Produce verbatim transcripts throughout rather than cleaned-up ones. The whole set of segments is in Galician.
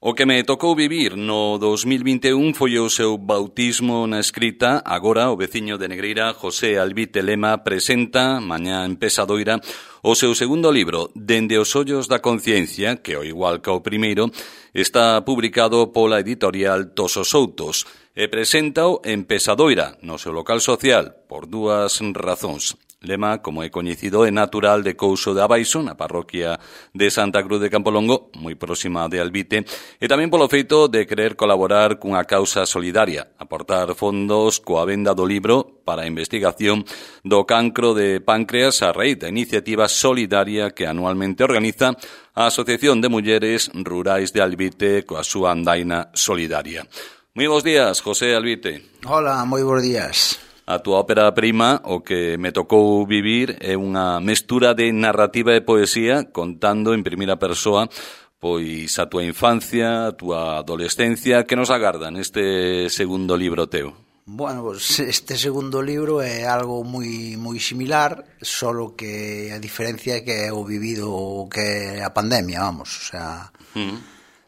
O que me tocou vivir no dos mil vinte e un foi o seu bautismo na escrita. Agora o veciño de Negreira, José Albite Lema, presenta, mañá en Pesadoira, o seu segundo libro, Dende os ollos da conciencia, que, ao igual que o primeiro, está publicado pola editorial Tosos Soutos, e presenta-o en Pesadoira, no seu local social, por dúas razóns. Lema, como é coñecido, é natural de Couso de Abaixo, na parroquia de Santa Cruz de Campolongo, moi próxima de Albite, e tamén polo feito de querer colaborar cunha causa solidaria, aportar fondos coa venda do libro para a investigación do cancro de páncreas a raíz da iniciativa solidaria que anualmente organiza a Asociación de Mulleres Rurais de Albite coa súa andaina solidaria. Moi bons días, José Albite. Hola, moi bons días. A túa ópera prima, O que me tocou vivir, é unha mestura de narrativa e poesía contando en primeira persoa pois a túa infancia, a túa adolescencia. Que nos agarda neste segundo libro teu? Bueno, pues este segundo libro é algo moi moi similar, solo que a diferencia é que é o vivido o que é a pandemia, vamos, o sea, uh-huh.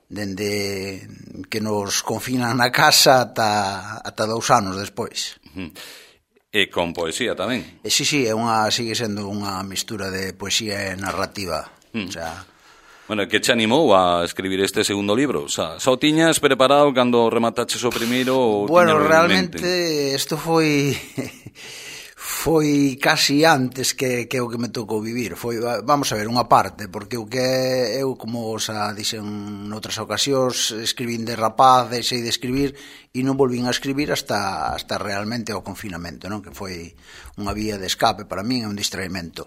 dende que nos confinan na casa ata, ata dous anos despois. Uh-huh. E con poesía tamén. E sí, sí, é unha, sigue sendo unha mistura de poesía e narrativa. Mm. O sea... Bueno, que te animou a escribir este segundo libro? O sea, só tiñas preparado cando remataches o primeiro? Ou bueno, realmente, isto foi... foi casi antes que, que o que me tocou vivir. Foi, vamos a ver, unha parte, porque o que eu, como xa dixen noutras ocasións, escribín de rapaz, deixei de escribir e non volvín a escribir hasta, hasta realmente o confinamento, non? Que foi unha vía de escape para min, é un distraimento.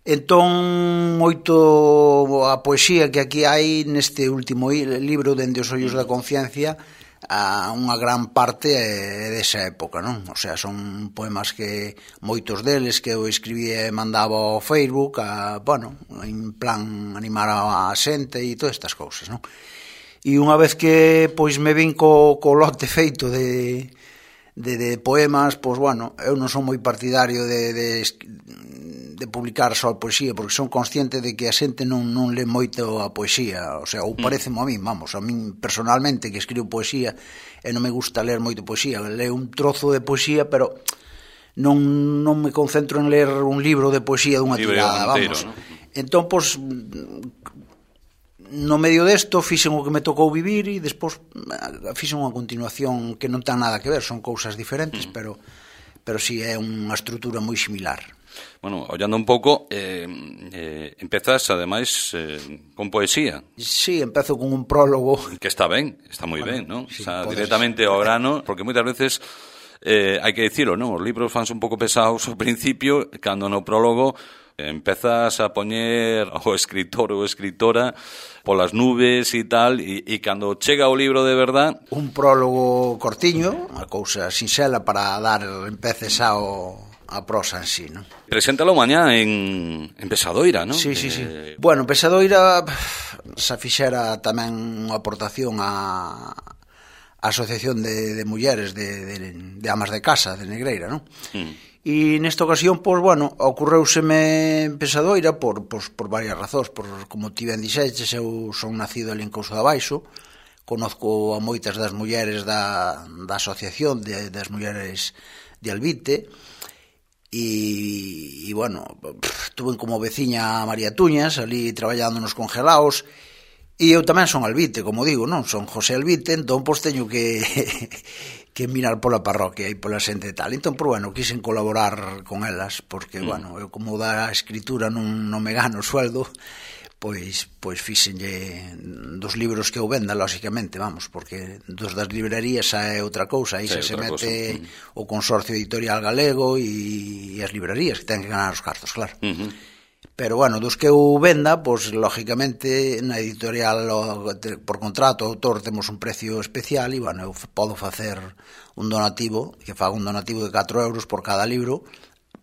Entón, moito a poesía que aquí hai neste último libro, Dende os ollos da conciencia, a unha gran parte é desa época, non? O sea, son poemas que moitos deles que eu escribía e mandaba ao Facebook, a, bueno, en plan animar a xente e todas estas cousas, non? E unha vez que pois me vin co, co lote feito de, de, de poemas, pois bueno, eu non son moi partidario de, de, de publicar só poesía, porque son consciente de que a xente non, non lê moito a poesía, o sea, ou pareceme a min, vamos, a min personalmente que escribo poesía e non me gusta ler moito poesía, leo un trozo de poesía, pero non, non me concentro en ler un libro de poesía dunha tirada, vamos. ¿No? Entón, pois, no medio desto fixen o que me tocou vivir e despois fixen unha continuación que non ten nada que ver, son cousas diferentes, mm. pero, pero si sí, é unha estrutura moi similar. Bueno, ollando un pouco, eh, eh, empezas, ademais, eh, con poesía. Sí, empezo con un prólogo. Que está ben, está moi bueno, ben, non? Sí, o sea, directamente ao grano, porque moitas veces, eh, hai que dicilo, non? Os libros fanse un pouco pesados ao principio, cando no prólogo eh, empezas a poñer o escritor ou escritora polas nubes e tal, e, e cando chega o libro de verdad... Un prólogo cortiño, unha cousa sinxela para dar empeces ao... a prosa en sí, non? Preséntalo mañá en, en Pesadoira, non? Sí, sí, sí. Eh... Bueno, Pesadoira xa fixera tamén unha aportación á Asociación de, de Mulleres de, de, de Amas de Casa de Negreira, non? Mm. E nesta ocasión, pois, bueno, ocorreuseme en Pesadoira por, pois, por varias razóns, por, como ti ben dixeches, eu son nacido ali en Couso de Abaixo, conozco a moitas das mulleres da, da Asociación de, das Mulleres de Albite, e, e bueno, tuve como veciña a María Tuñas ali traballando nos congelaos, e eu tamén son albite, como digo, non? Son José Albite, entón pois teño que que mirar pola parroquia e pola xente e tal. Entón, pois, bueno, quixen colaborar con elas, porque, mm. bueno, eu como da escritura non, non me gano o sueldo, pois pois fixenlle dos libros que eu venda, lóxicamente, vamos, porque dos das librerías xa é outra cousa, aí xa se mete mm. o Consorcio Editorial Galego e, e as librerías que ten que ganar os cartos, claro. Mm-hmm. Pero, bueno, dos que eu venda, pois, lógicamente, na editorial, por contrato, autor, temos un precio especial e, bueno, eu podo facer un donativo, que faga un donativo de catro euros por cada libro,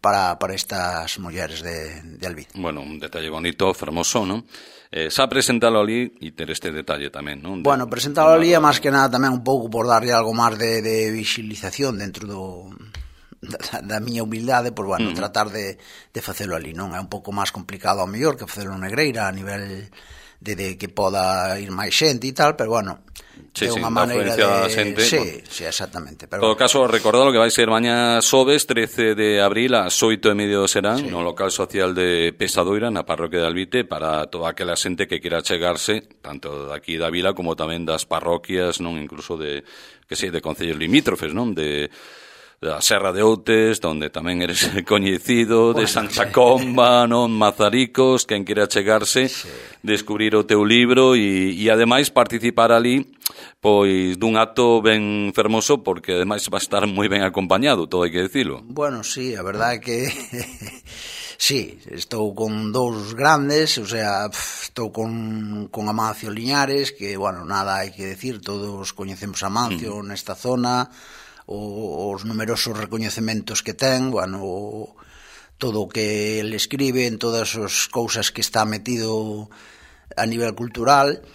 para, para estas mulleres de, de Albite. Bueno, un detalle bonito, fermoso, non? Eh, xa presentalo ali e ter este detalle tamén, non? Bueno, presentalo ali é máis que nada tamén un pouco por darlle algo máis de, de visualización dentro do... Da, da miña humildade, pois, bueno, uh-huh. tratar de, de facelo ali, non? É un pouco máis complicado ao mellor que facelo en Negreira a nivel de, de que poda ir máis xente e tal, pero bueno, sí, é sí, unha maneira de... xente, sí, bueno. sí, exactamente. En todo caso, recordado que vai ser mañá xoves, trece de abril, ás oito e medio serán, sí. no local social de Pesadoira, na parroquia de Albite, para toda aquela xente que queira chegarse, tanto daqui da vila como tamén das parroquias, non, incluso de, que sei, de concellos limítrofes, non, de... da Serra de Outes, donde tamén eres coñecido, de Santa Comba, non, Mazaricos, quen queira chegarse, sí. descubrir o teu libro e, e ademais participar ali pois dun acto ben fermoso, porque ademais va a estar moi ben acompañado, todo hai que decirlo. Bueno, sí, a verdade é que sí, estou con dous grandes, o sea, estou con, con Amancio Liñares, que, bueno, nada hai que decir, todos coñecemos a Amancio mm. nesta zona, o, os numerosos recoñecementos que ten, bueno, o, todo o que ele escribe, en todas as cousas que está metido a nivel cultural,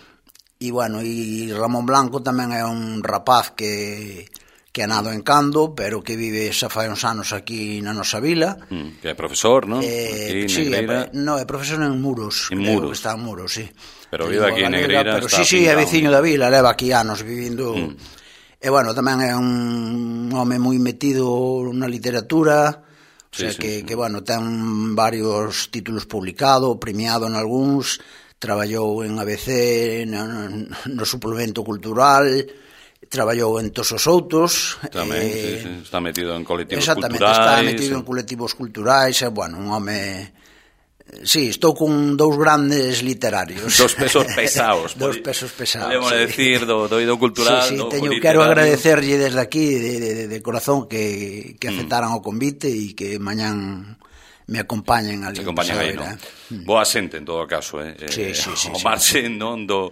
e, bueno, e Ramón Blanco tamén é un rapaz que... que ha nado en Cando, pero que vive xa fai uns anos aquí na nosa vila. Mm, que é profesor, non? Eh, sí, é, no, é profesor en Muros. En Muros. Está en Muros, sí. Pero vive aquí en Negreira. Pero sí, sí, é veciño da vila, leva aquí anos vivindo... Mm. E, bueno, tamén é un home moi metido na literatura, o sea, sí, sí, que, sí. que, bueno, ten varios títulos publicados, premiado en algúns, traballou en A B C, no, no suplemento cultural... traballou en todos os outros. Tamén, eh, sí, sí, está metido en colectivos exactamente, culturais. Exactamente, está metido en colectivos culturais, e, bueno, un home... Sí, estou con dous grandes literarios. Dos pesos pesados. Dos pesos pesados. Podemos sí. decir, do, do ido cultural, sí, sí, do teño, literario. Quero agradecerlle desde aquí, de, de, de corazón, que, que aceptaran mm. o convite e que mañán me acompañen ali. Se acompañan aí, non? Boa xente, en todo caso, eh? Sí, sí, sí. O marxe, non? Do,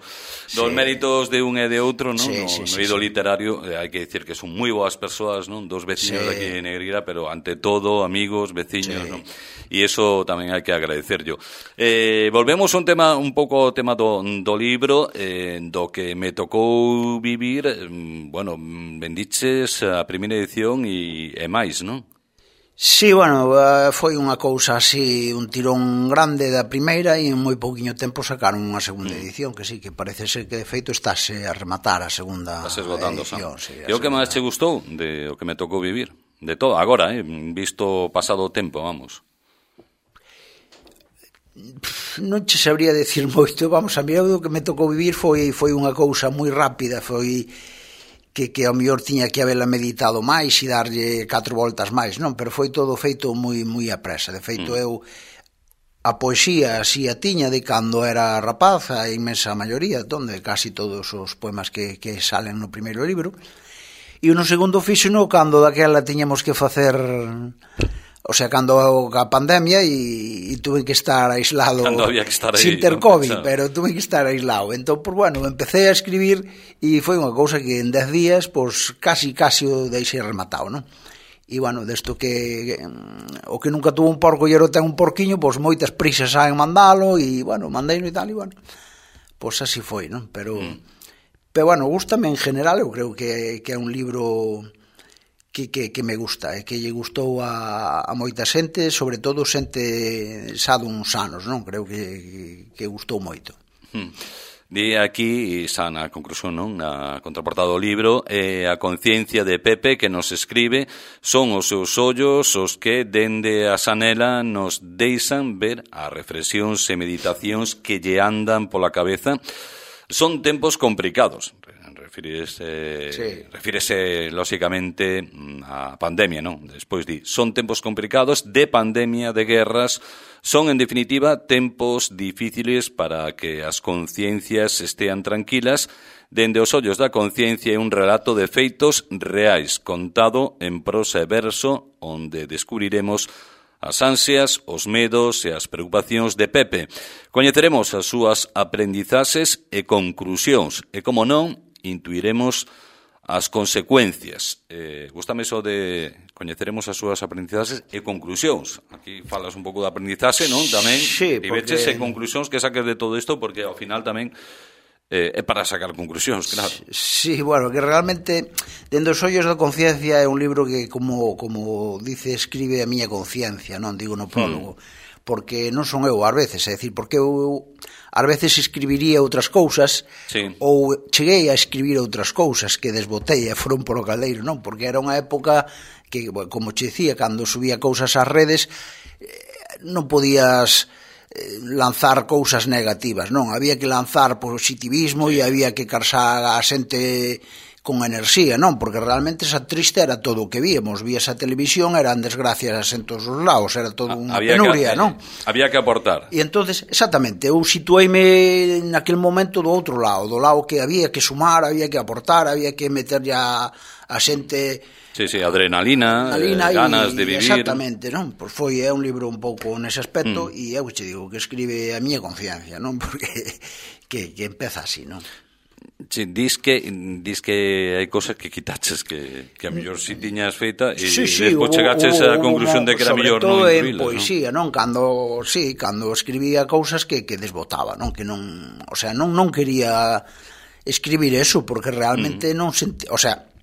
dos sí. méritos de un e de outro, non? Sí, no, sí, no ido sí, literario, eh, hai que dicir que son moi boas persoas, non? Dos veciños sí. de aquí de Negreira, pero ante todo, amigos, veciños, sí. non? E iso tamén hai que agradecer yo. Eh, volvemos a un tema, un pouco o tema do, do libro, eh, do que me tocou vivir, eh, bueno, bendiches a primeira edición e, e máis, non? Sí, bueno, foi unha cousa así, un tirón grande da primeira e en moi pouquiño tempo sacaron unha segunda edición, que sí, que parece ser que de feito estáse a rematar a segunda edición. Sí, e o que máis che gustou de o que me tocou vivir? De todo, agora, eh, visto pasado o tempo, vamos. Non che sabría decir moito, vamos, a mí o que me tocou vivir foi foi unha cousa moi rápida, foi... que, que ao mellor tiña que habela meditado máis e darlle catro voltas máis, non, pero foi todo feito moi moi a presa. De feito, mm. eu a poesía así a tiña de cando era rapaz, a inmensa maioría, donde casi todos os poemas que, que salen no primeiro libro, e no segundo fíxeno cando daquela tiñamos que facer... O sea, cando a pandemia e, e tuve que estar aislado que estar aí, sin ter COVID, pero tuve que estar aislado. Entón, pues, bueno, empecé a escribir e foi unha cousa que en dez días, pues, casi, casi o deixei rematado, non? E, bueno, desto que o que nunca tuvo un porco e era ten un porquiño, pues, moitas prisas saen mandalo e, bueno, mandeino e tal, e, bueno, pues así foi, non? Pero, mm. pero bueno, gústame en general, eu creo que, que é un libro... Que, que, que me gusta, e que lle gustou a, a moita xente, sobre todo xente xa duns anos, non? Creo que, que gustou moito. Hmm. Di aquí, e xa na conclusión, non? Na contraportada do libro, eh, a conciencia de Pepe que nos escribe son os seus ollos os que dende a xanela nos deixan ver as reflexións e meditacións que lle andan pola cabeza. Son tempos complicados. Refírese, sí. refírese lóxicamente a pandemia, non? Despois di, son tempos complicados de pandemia, de guerras, son en definitiva tempos difíciles para que as conciencias estean tranquilas. Dende os ollos da conciencia é un relato de feitos reais, contado en prosa e verso, onde descubriremos as ansias, os medos e as preocupacións de Pepe. Coñeceremos as súas aprendizaxes e conclusións, e como non, intuiremos as consecuencias. Eh, gústame iso de coñeceremos as súas aprendizaxes e conclusións. Aquí falas un pouco de aprendizaxe, non? Tamén, sí, e veches e conclusións que saques de todo isto, porque ao final tamén eh, é para sacar conclusións, claro. Sí, bueno, que realmente dende os ollos da conciencia é un libro que, como, como dice, escribe a miña conciencia, non? Digo no prólogo. Hmm. porque non son eu ás veces, é dicir, porque eu ás veces escribiría outras cousas, sí. ou cheguei a escribir outras cousas que desbotei e foron polo caldeiro, non? Porque era unha época que, como che dicía, cando subía cousas ás redes, non podías lanzar cousas negativas, non? Había que lanzar positivismo sí. e había que carsar a xente con enerxía, non? Porque realmente esa triste era todo o que víamos, vías a televisión, eran desgracias en todos os lados, era todo unha había penuria, que, non? Había que aportar. E entonces, exactamente, eu situeime naquele momento do outro lado, do lado que había que sumar, había que aportar, había que meter ya a xente... Sí, sí, adrenalina, adrenalina eh, ganas y, de vivir. Exactamente, non? Pois foi é un libro un pouco nese aspecto e mm. eu che digo que escribe a miña conciencia, non? Porque que, que empeza así, non? Sí, dis que dis que hai cosas que quitaches que, que a mellor si tiñas feita e sí, sí, despois chegaches á conclusión de que era mellor non incluílas, pois non? Sí, non, cando sí, cando escribía cousas que que desbotaba, non, que non, o sea, non non quería escribir eso porque realmente mm. non sentía, o sea,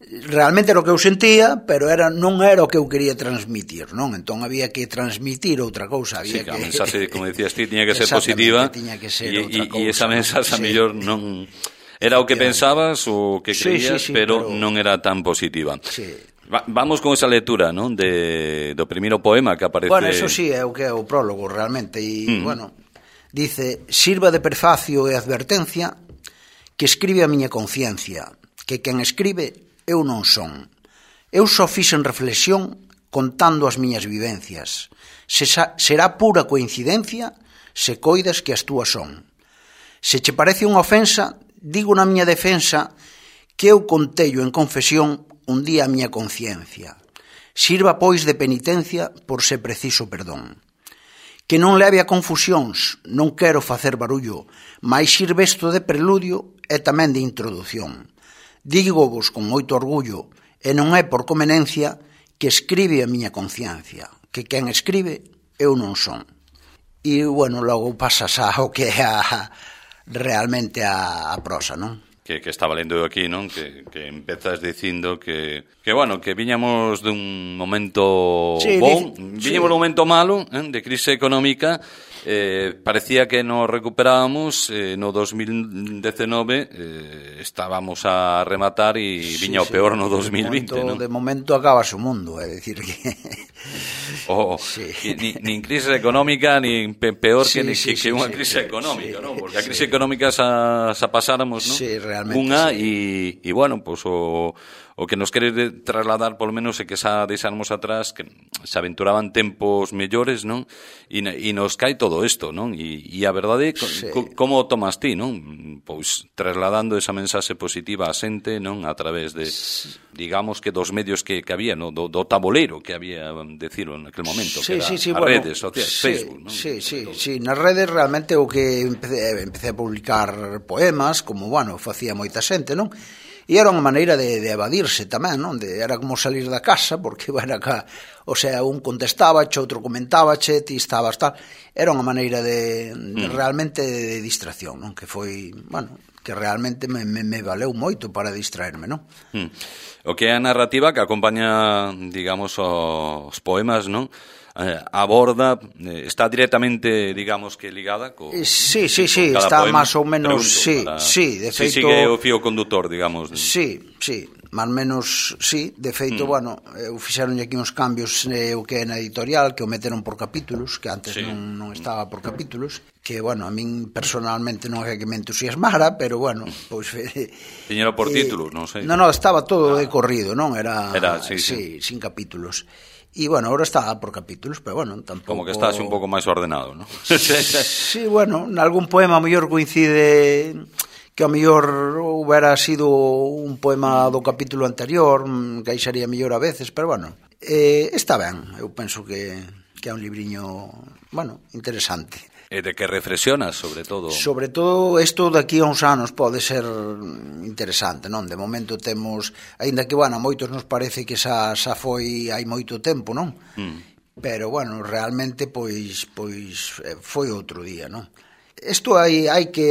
realmente era o que eu sentía, pero era non era o que eu quería transmitir, non? Entón había que transmitir outra cousa, había sí, que... a mensaxe, como decías ti, tiña que ser positiva, tiña que ser e, outra cousa, e esa mensaxe sí. a mellor non era o que pensabas ou o que creías, sí, sí, sí, pero, pero non era tan positiva. Sí. Va, vamos con esa lectura, non? De do primeiro poema que aparece. Bueno, eso sí, é o que é o prólogo realmente e, mm. bueno, dice: "Sirva de prefacio e advertencia que escribe a miña conciencia, que quen escribe eu non son. Eu só fixen reflexión contando as miñas vivencias. Se sa, será pura coincidencia se coidas que as túas son. Se che parece unha ofensa, digo na miña defensa que eu contello en confesión un día a miña conciencia. Sirva, pois, de penitencia por se preciso perdón. Que non leve a confusións, non quero facer barullo, mais sirve isto de preludio e tamén de introdución. Digo vos con moito orgullo, e non é por conveniencia, que escribe a miña conciencia, que quen escribe eu non son." E, bueno, logo pasas ao que é a, realmente a, a prosa, non? Que, que estaba lendo aquí, non? Que, que empezas dicindo que, que, bueno, que viñamos dun momento sí, bon, dice, viñamos sí. dun momento malo, eh, de crise económica. Eh, parecía que nos recuperábamos eh, no dos mil dezenove eh, estábamos a rematar e sí, viña o peor no dos mil vinte, de momento, non? De momento acabas o mundo, é dicir que oh, sí. ni, nin crise económica nin peor sí, que, sí, que, sí, que unha sí, crise sí, económica, sí, non? Porque a crise sí. económica xa, xa pasáramos, non? Sí, realmente unha sí. e, e bueno, pois pues, o o que nos quere trasladar polo menos é que xa deixarmos atrás que se aventuraban tempos mellores, non? E, e nos cae todo isto, non? E, e a verdade, sí. co, como o tomas ti, non? Pois trasladando esa mensaxe positiva a xente, non? A través de, digamos que dos medios que, que había, non? Do, do tabuleiro que había, decirlo, en aquel momento, sí, que era sí, sí, as bueno, redes sociais, sí, Facebook, non? Sí, sí, sí, nas redes realmente o que empecé, empecé a publicar poemas, como, bueno, facía moita xente, non? E era unha maneira de, de evadirse tamén, non? De, era como salir da casa, porque, bueno, acá, o sea, un contestábache, outro comentábache, ti estabas tal. Era unha maneira de, de mm. realmente de, de distracción, non? Que foi, bueno, que realmente me, me, me valeu moito para distraerme, non? Mm. O que é a narrativa que acompaña, digamos, os poemas, non? Eh, aborda, eh, está directamente, digamos que ligada co, sí, sí, sí, está poema. Más ou menos, sí, para, sí, de feito... Si sigue o fío conductor, digamos. Sí, sí, más menos, sí, de feito, mm. bueno, eu fixeron aquí uns cambios eh, o que é na editorial, que o meteron por capítulos, que antes sí. non, non estaba por capítulos, que, bueno, a min personalmente non é que me entusiasmara, pero, bueno, pois... Eh, Tiñero por eh, títulos, non sei. Non, non, estaba todo ah. de corrido, non? Era, Era sí, sí, sí, sin capítulos. E, bueno, ahora está por capítulos, pero, bueno, tampouco... Como que está así un pouco máis ordenado, non? Sí, bueno, en algún poema a mellor coincide que a mellor hubiera sido un poema do capítulo anterior, que aí sería mellor a veces, pero, bueno, eh, está ben, eu penso que, que é un libriño, bueno, interesante. E de que reflexionas, sobre todo? Sobre todo, isto daqui a uns anos pode ser interesante, non? De momento temos, aínda que, bueno, a moitos nos parece que xa, xa foi hai moito tempo, non? Mm. Pero, bueno, realmente, pois, pois foi outro día, non? Isto hai, hai que...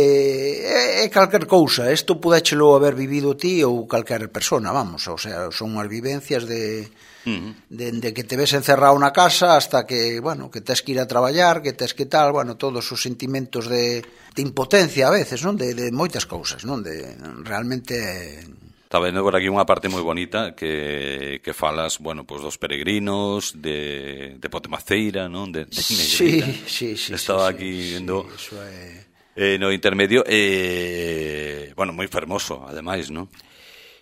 É, é calquer cousa. Isto pudéchelo haber vivido ti ou calquer persona, vamos. O sea, son as vivencias de... Uh-huh. de, de que te ves encerrado na casa hasta que, bueno, que tes que ir a traballar, que tes que tal, bueno, todos os sentimentos de, de impotencia a veces, non? De, de moitas cousas, non? De realmente... Está vendo por aquí unha parte moi bonita que, que falas, bueno, pues dos peregrinos de, de Potemaceira, non? De, de Negreira. Sí, sí, sí. Estaba sí, aquí sí, vendo sí, é... eh, no intermedio, eh, bueno, moi fermoso, ademais, non?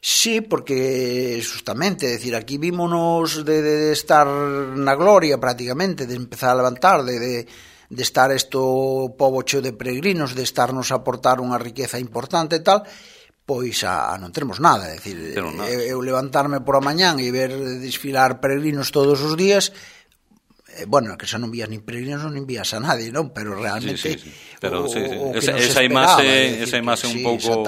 Sí, porque justamente, é dicir, aquí vímonos de, de estar na gloria prácticamente, de empezar a levantar, de... de de estar esto pobo cheo de peregrinos, de estarnos a aportar unha riqueza importante e tal, pois a, a non termos nada, é dicir, nada. Eu, eu levantarme por a mañán e ver desfilar peregrinos todos os días, eh, bueno, que xa non vías nin peregrinos, non vías a nadie, non? Pero realmente sí, sí, sí. Pero, o, sí, sí. o que esa, nos esa esperaba, imaxe, esa imaxe un sí, pouco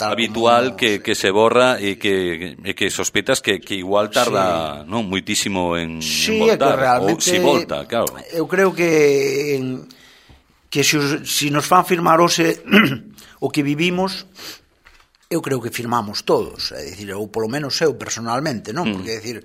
habitual como... que, que se borra e que, e que sospeitas que, que igual tarda sí. non moitísimo en, sí, en voltar, realmente, ou si volta, claro. Eu creo que que se, si nos fan firmar ose o que vivimos, eu creo que firmamos todos, é dicir, ou polo menos eu personalmente, non? Porque, é dicir,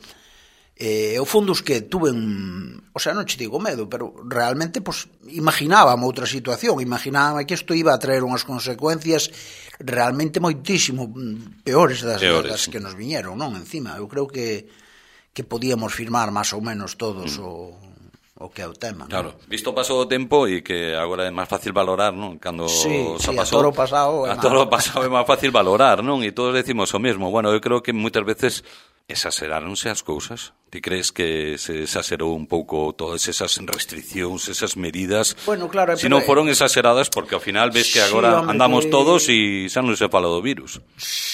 eh, o fondo es que tuve un... O sea, non che digo medo, pero realmente, pues, imaginábame outra situación, imaginábame que isto iba a traer unhas consecuencias realmente moitísimo peores das, peores. das que nos viñeron, non? Encima, eu creo que, que podíamos firmar máis ou menos todos mm. o... o que é o tema, claro, non? Visto o paso do tempo e que agora é máis fácil valorar, non? Cando sí, xa sí, pasou, a toro pasado a toro pasado é máis fácil valorar, non? E todos decimos o mesmo. Bueno, eu creo que moitas veces exageráronse as cousas. Ti crees que se exagerou un pouco todas esas restriccións, esas medidas? Bueno, claro, se non foron exageradas, porque ao final ves que agora sí, hombre, andamos que... todos e xa non se fala do virus.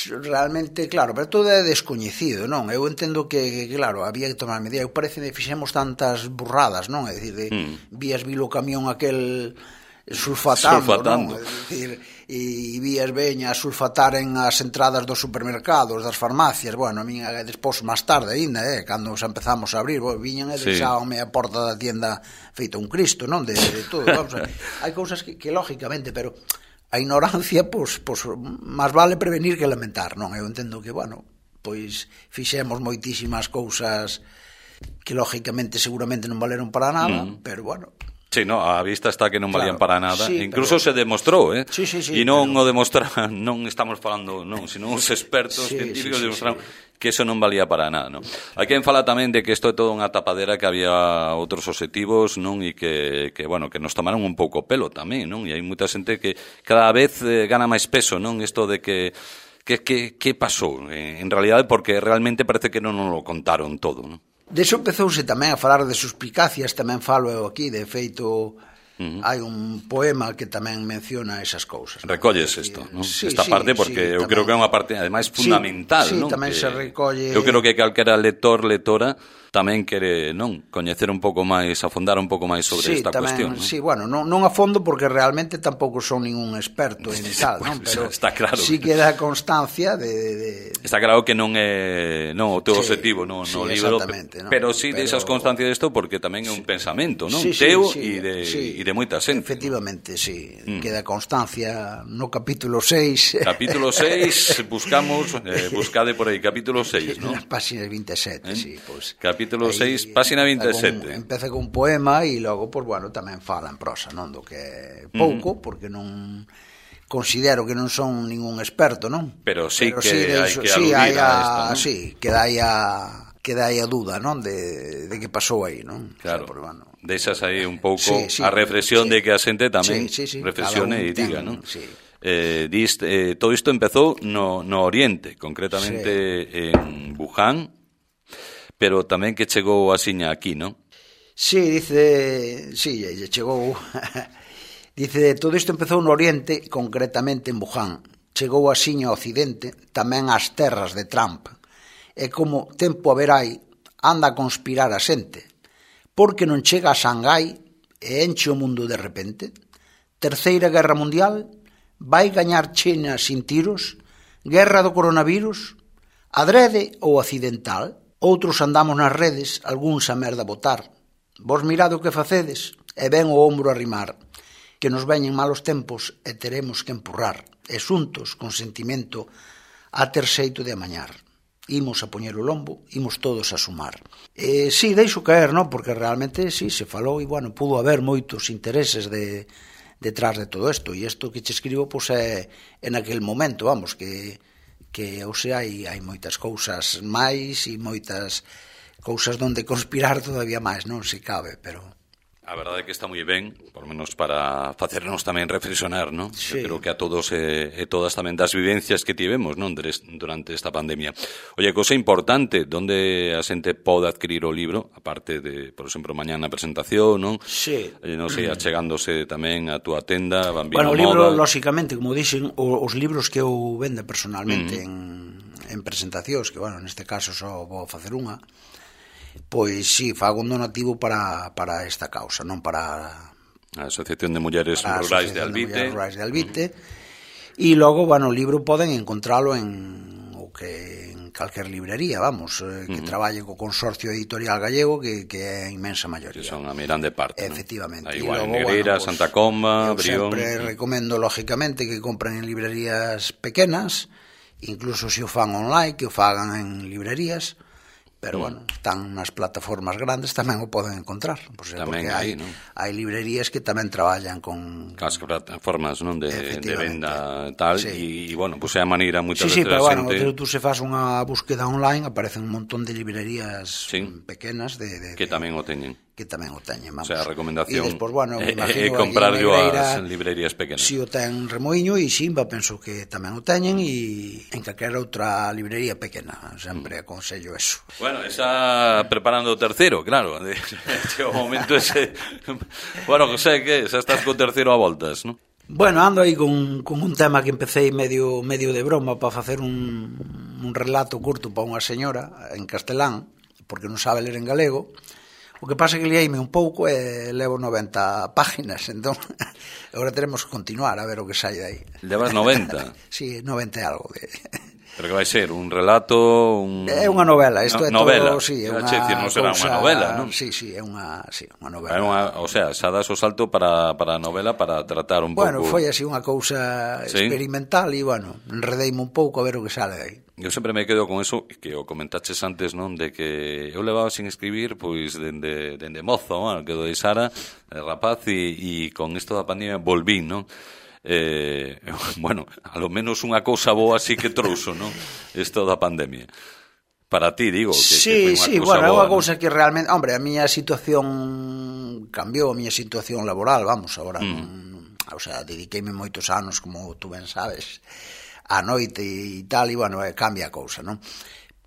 Realmente, claro, pero todo é descoñecido, non? Eu entendo que, que claro, había que tomar medidas. Eu parece que fixemos tantas burradas, non? É dicir, de, mm. vías vilo camión aquel sulfatando, sulfatando. Non? É dicir, e vías veña a sulfatar en as entradas dos supermercados, das farmacias. Bueno, a mí despois, máis tarde ainda, eh, cando xa empezamos a abrir, bueno, viñan e deixábanme a porta da tienda feito un Cristo, non? De, de todo, vamos a... Hai cousas que, que lógicamente, pero a ignorancia, pois, pois, máis vale prevenir que lamentar, non? Eu entendo que, bueno, pois fixemos moitísimas cousas que lógicamente seguramente non valeron para nada, mm. pero bueno... Sí, no, a vista está que non valían claro, para nada. sí, Incluso pero... se demostrou, eh? Sí, sí, sí, e non pero... o demostraron, non estamos falando, non, sino os expertos sí, científicos sí, sí, demostraron sí. que eso non valía para nada, non? Hai quen fala tamén de que isto é todo unha tapadera, que había outros obxectivos, non? E que, que, bueno, que nos tomaron un pouco pelo tamén, non? E hai moita xente que cada vez eh, gana máis peso, non? Isto de que que, que, que pasou, eh, en realidade, porque realmente parece que non nos lo contaron todo, non? De iso empezouse tamén a falar de suspicacias, tamén falo eu aquí, de feito, uh-huh. hai un poema que tamén menciona esas cousas. Recolles isto, non? Sí, esta sí, parte, porque sí, eu tamén, creo que é unha parte, ademais, fundamental, sí, non? Sí, tamén que se recolle... Eu creo que calquera lector, lectora, tamén quere, non, coñecer un pouco máis, afondar un pouco máis sobre sí, esta tamén, cuestión, non? Sí, bueno, non, non a fondo porque realmente tampouco son ningún experto en tal, non? Pero está claro. Sí que dá constancia de, de... Está claro que non é, non, o teu sí, objetivo no, sí, no libro, ¿no? pero sí pero... deixas constancia disto porque tamén é un sí. pensamento, non? Sí, sí, teu sí, e de, sí. de moita xente. Efectivamente, sí, mm. queda constancia no capítulo seis. Capítulo seis, buscamos, eh, buscade por aí, capítulo seis, non? Nas páxinas vinte e sete, ¿Eh? sí, pues, capítulo seis, páxina vinte e sete. Empeza con un poema e logo, pues, bueno, tamén fala en prosa, non? Do que é pouco, mm. porque non considero que non son ningún experto, non? Pero sí Pero que sí, hai iso, que sí, aludir hai a, a esto, non? Sí, que dai a que dai a dúda, non? De, de que pasou aí, non? Claro, o sea, por, bueno, deixas aí un pouco sí, sí, a reflexión sí, de que a xente tamén sí, sí, sí, reflexione e diga, ten, non? Sí. Eh, dis, eh, todo isto empezou no, no Oriente, concretamente sí. en Wuhan, pero tamén que chegou asiña aquí, non? Sí, dice, sí, chegou... dice, todo isto empezou no Oriente, concretamente en Wuhan. Chegou asiña ao Occidente, tamén ás terras de Trump. E como tempo a ver hai, anda a conspirar a xente. Porque non chega a Xangai e enche o mundo de repente? Terceira Guerra Mundial? Vai gañar China sin tiros? Guerra do coronavirus? Adrede ou accidental? Outros andamos nas redes, algúns a merda botar. Vos mirade o que facedes, e ven o ombro a rimar. que nos veñen malos tempos e teremos que empurrar, e xuntos, con sentimento, a ter xeito de amañar. Imos a poñer o lombo, imos todos a sumar. E, sí, deixo caer, non? Porque realmente, sí, se falou, e, bueno, pudo haber moitos intereses de, detrás de todo isto, e isto que che escribo, pois, é en aquel momento, vamos, que, que ou sea, hai, hai moitas cousas máis e moitas cousas donde conspirar todavía máis, non se cabe, pero... A verdade é que está moi ben, por menos para facernos tamén reflexionar, non? Sí. Eu creo que a todos e, e todas tamén das vivencias que tivemos, non? Durante esta pandemia. Oye, cousa importante, donde a xente pode adquirir o libro, aparte de, por exemplo, mañá na presentación, non? Sí. Eh, non sei, achegándose tamén a túa tenda, Bambino Bueno, o Moda. libro, lóxicamente, como dixen, os libros que eu vendo personalmente mm. en, en presentacións, que, bueno, neste caso só vou facer unha, pois sí, fago un donativo para, para esta causa, non para a Asociación de Mulleres Rurais de Albite, de Rurais de Albite. E uh-huh. logo, bueno, o libro poden encontralo en o que en calquer librería, vamos, eh, que uh-huh. traballe co Consorcio Editorial Gallego, que, que é a inmensa maioría. Que son a mirande parte, efectivamente. ¿no? Igual, logo, Negreira, bueno, pues, Santa Comba, Brión... sempre recomendo, lógicamente, que compren en librerías pequenas, incluso se o fan online, que o fagan en librerías, pero, mm. bueno, están nas plataformas grandes, tamén o poden encontrar, por ser, porque hai, ¿no? hai librerías que tamén traballan con... As plataformas, non, de, de venda tal, sí. e, bueno, pues é a maneira moitas sí, veces sí, pero, bueno, xente... tú se fas unha búsqueda online, aparecen un montón de librerías sí. pequenas de, de, que tamén o teñen. que tamén o teñen, vamos. O sea, a recomendación e despois, bueno, é, imagino, é comprar yo as librerías pequenas. Si o ten Remoiño e Ximba, penso que tamén o teñen, e en calquera outra librería pequena, sempre mm. aconsello eso. Bueno, está preparando o terceiro, claro, de, de o momento ese. Bueno, José, que xa estás co terceiro a voltas, non? Bueno, ando aí con, con un tema que empecé medio medio de broma para facer un, un relato curto para unha señora en castelán, porque non sabe ler en galego. O que pasa é que liaime un pouco e levo noventa páginas, entón agora teremos que continuar a ver o que sai dai. Levas noventa? Sí, noventa e algo. De... Pero que vai ser? Un relato? Un... É unha novela, isto no, é novela. todo... Sí, é unha decir, non será cousa... unha novela, non? Sí, sí, é unha, sí, unha novela. É unha, o sea, xa das o salto para, para a novela para tratar un bueno, pouco... Bueno, foi así unha cousa ¿sí? experimental e, bueno, enredeime un pouco a ver o que sale dai. Eu sempre me quedo con eso que o comentaches antes, non, de que eu levaba sin escribir pois dende, dende mozo, bueno, que do de Sara, de rapaz, e, e con isto da pandemia volvín, non? Eh, bueno, a lo menos unha cousa boa así que trouxo, non? Isto da pandemia. Para ti, digo, que, sí, que foi unha sí, cousa bueno, é unha boa, cousa ¿no? que realmente, hombre, a miña situación cambiou, a miña situación laboral, vamos, agora, mm. non, o sea, dediqueime moitos anos, como tú ben sabes, a noite e tal, e, bueno, cambia a cousa, non?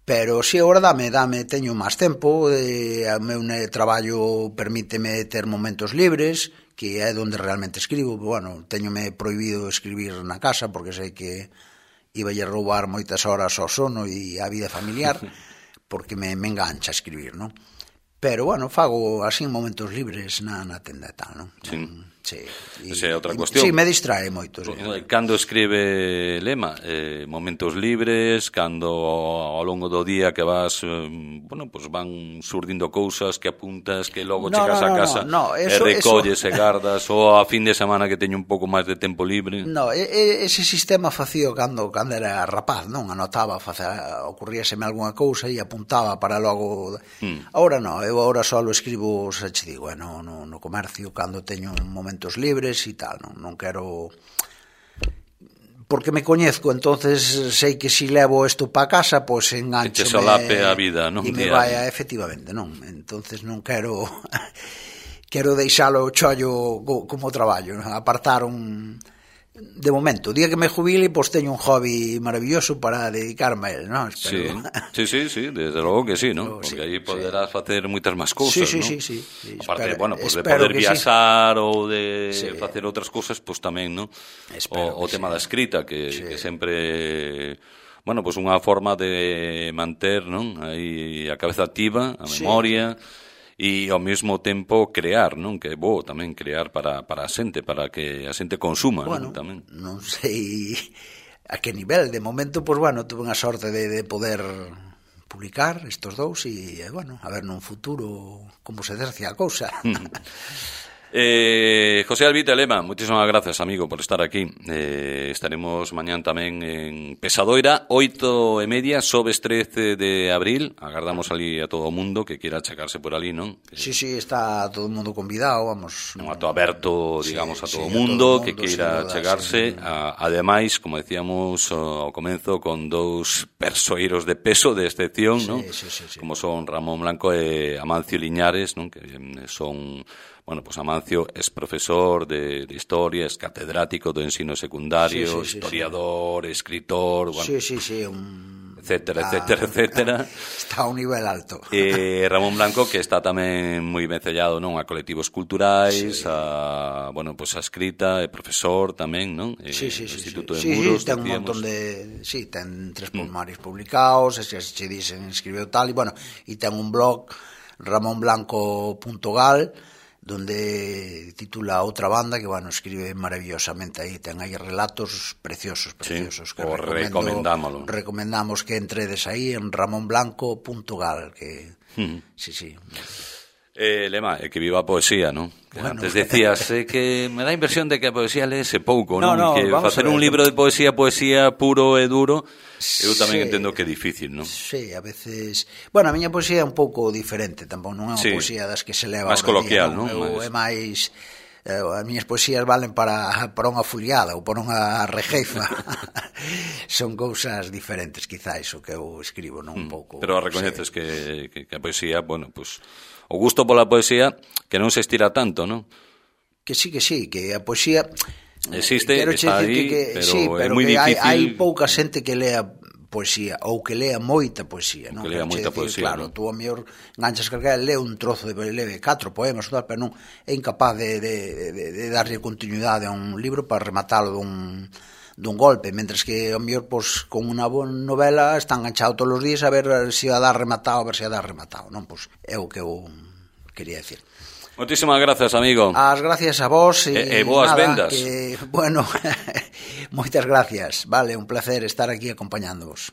Pero si agora dame, dame, teño máis tempo, eh, o meu traballo permíteme ter momentos libres, que é onde realmente escribo, bueno, teñome prohibido escribir na casa, porque sei que iba a roubar moitas horas ao sono e a vida familiar, porque me, me engancha escribir, non? Pero, bueno, fago así en momentos libres na, na tenda e tal, non? Sí. Sí, e, esa é outra cuestión. Sí, me distrae moito. Sí. Cando escribe Lema, eh, momentos libres, cando ao longo do día que vas, eh, bueno, pues van surdindo cousas que apuntas, que logo no, chegas no, no, a casa no, no, eso, e recolles eso... e gardas, ou a fin de semana que teño un pouco máis de tempo libre. No, ese sistema facía cando, cando era rapaz, non? Anotaba, facía, ocurríaseme algunha cousa e apuntaba para logo... Hmm. Ahora non, eu agora só escribo, xa che digo, no, no, no comercio, cando teño un momento libres e tal, non, non quero porque me coñezco, entonces sei que si levo isto para casa, pois pues, enganchome que te solape a vida, non? E me vai, efectivamente, non, entonces non quero quero deixalo chollo como traballo, non? Apartar un de momento, o día que me jubile, pois teño un hobby maravilloso para dedicarme a él, non? Espero. Sí, sí, sí, sí, desde logo que sí, non? Porque sí, aí poderás sí. facer moitas máis cousas, sí, sí, non? Sí, sí, sí. Aparte, espero, bueno, pues de poder viaxar sí. ou de sí. facer outras cousas, pois pues tamén, non? O, o tema sí. da escrita, que, sí. que sempre... Bueno, pois pues unha forma de manter, non? Aí a cabeza activa, a memoria... Sí. E ao mesmo tempo crear, non? Que é bo tamén crear para, para a xente, para que a xente consuma, bueno, non? Tamén. Non sei a que nivel, de momento, pois, pues, bueno, tuve unha sorte de, de poder publicar estos dous e, bueno, a ver nun futuro como se dercia a cousa. Eh, José Albite Lema, muchísimas gracias, amigo, por estar aquí. Eh, estaremos mañán tamén en Pesadoira, oito e media, sobes trece de abril. Agardamos ali a todo o mundo que quiera checarse por ali, non? Sí, sí, está todo o mundo convidado, vamos. Un acto aberto, digamos, sí, a todo o sí, mundo, mundo que queira chegarse. Sí. A, ademais, como decíamos ao comenzo, con dous persoeiros de peso, de excepción, sí, non? Sí, sí, sí. Como son Ramón Blanco e Amancio Liñares, non? Que son... Bueno, pues Amancio es profesor de, de historia, es catedrático de ensino secundario, sí, sí, historiador, sí, sí. escritor, bueno, sí, sí, sí, un... etcétera, está, etcétera, etcétera. Está a un nivel alto. E Ramón Blanco, que está tamén moi vencellado, non, a colectivos culturais, sí. a, bueno, pues a escrita, é profesor tamén, non? Sí, sí, sí, sí, Instituto sí, de Muros, sí, ten un montón de, sí, ten tres poemarios mm. publicados, e se che dicen escribeu tal, e bueno, e ten un blog ramón blanco punto gal, donde titula Outra Banda, que, bueno, escribe maravillosamente aí, ten aí relatos preciosos, preciosos, sí, que recomendámoslo. Recomendamos que entredes aí en ramón blanco punto gal, que, mm. sí, sí. Eh, Lema, é que viva a poesía, non? Bueno. Antes decías eh, que me dá a impresión de que a poesía leese pouco, non? No, no, que facer un libro de poesía, poesía puro e duro, eu tamén sí. entendo que é difícil, non? Sí, a veces... Bueno, a miña poesía é un pouco diferente, tampouco non é unha sí. poesía das que se leva máis coloquial, non? non? Eu, é máis... Eh, as miñas poesías valen para, para unha foliada ou para unha rejeifa. Son cousas diferentes, quizás, o que eu escribo, non un pouco... Pero recoñeces sí. que, que, que a poesía, bueno, pues... O gusto pola poesía que non se estira tanto, non? Que sí, que sí, que a poesía... Existe, está aí, que, que, pero sí, é pero moi difícil... Hai, hai pouca xente que lea poesía, ou que lea moita poesía, non? Que lea moita decir, poesía, claro, non? tú a mellor enganchas calquera, lee un trozo de lee catro poemas, tal, pero non é incapaz de, de, de, de darlle continuidade a un libro para rematalo dun... dun golpe, mentres que ao mellor pois, con unha boa novela está enganchado todos os días a ver se a dar rematado, a ver se a dar rematado, non? Pois é o que eu quería decir. Moitísimas grazas, amigo. As gracias a vos e, e, e boas nada, vendas. Que, bueno, moitas gracias. Vale, un placer estar aquí acompañándovos.